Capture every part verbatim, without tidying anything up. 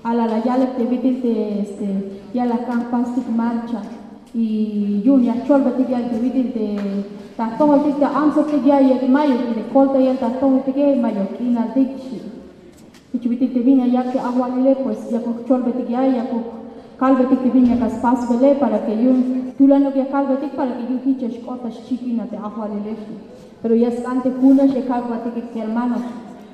Ala la yalek te bit'il te, este, ya la jk'an jpastik marcha. Y yu'un ya jcholbetik ya'el te bit'il te, ta jtojoltik te antsotik ya'iyel mayuk, y te koltayel ta jtojoltike mayuk k'inaltik xchi. Jich bit'il te bin ya yak' te ajwalile, pues yakuk jcholbetik ya'el, yakuk kalbetik te bin ya jk'an spasbele, para que yu'un tulanuk ya kalbetik, para que yu'un jich ya xk'ot ta xchikin a te ajwalile xchi. Pero ya sk'an te junax ya kalbatike kermano.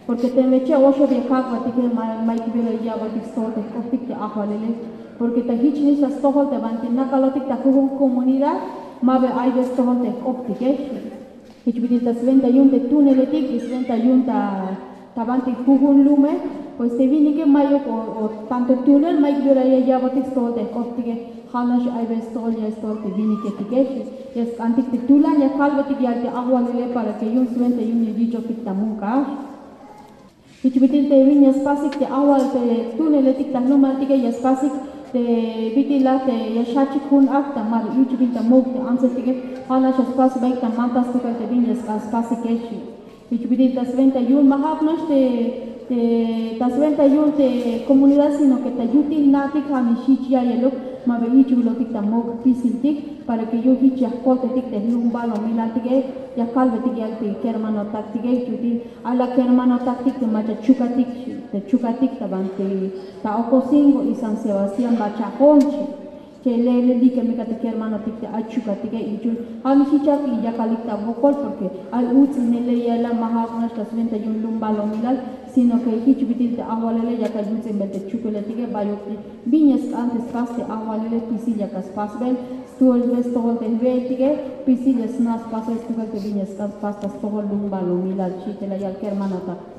Porque teme che'oxeb ya kalbatike, ma, mayuk bi ora ya ya'botik stojol te jk'optik te ajwalile. Porque ta jichnix ta stojol te banti nakalotik ta jujun comunidad, ma ba ay bi stojol te jk'optike. Jich bit'il ta swenta yu'un te tuneletik y swenta yu'un ta, ta banti jujun lume, pues te winike mayuk o, o tanto tunel mayuk bi ora ya ya'botik stojol te jk'optike. Ja'nax ay bi stojol ya stojol te winiketike. Ya sk'antik te tulan ya kalbetik ya'el te ajwalile para que yu'un swenta yu'un ya yich'ojtik ta muk' a. Jich bit'il te bin ya spasik te ajwal te tuneletik ta jlumaltike, ya spasik te bit'il a te ya xjachik jun akt a, ma ba yuch'bil ta muk' te antsetike. Ja'nax ya spas baik ta manta stukel te bin ya sk'an spasike xchi. Jich bit'il ta swenta yu'un ma ja'uk nax te, te ta swenta yu'un te comunidad, sino que ta yutil jna'tik ja'nix jich ya'iyeluk, ma ba yuch'bilotik ta muk' jpisiltik, para que yu'un jich ya jkoltetik te jlumbalomilantike, ya kalbetik ya'el te kermanotaktike. Jich bit'il ay la kermanotaktik te mach'a chukatik, te chukatik ta banti ta Ocosingo y San Sebastián, mach'a jo'on xchi. Che le, le like me ka te kermanotik te ay chukatike, y yu'un ja'nix jich yak yakalik ta wokol, porque ay uts'inele ya'el a, ma ja'uk nax ta swenta yu'un jlumbalomilal, sino que jich bit'il te ajwalile yak ay yuts'inbel te chukuletike. Bayuk bin ya sk'an te spas te ajwalile, jpisil yak a spasbel, stukelbe stojol te jwe'eltike, jpisil ya sna' spasel stukel te bin ya sk'an spas ta stojol jlumbalomilal xchi te la yal kermanotak.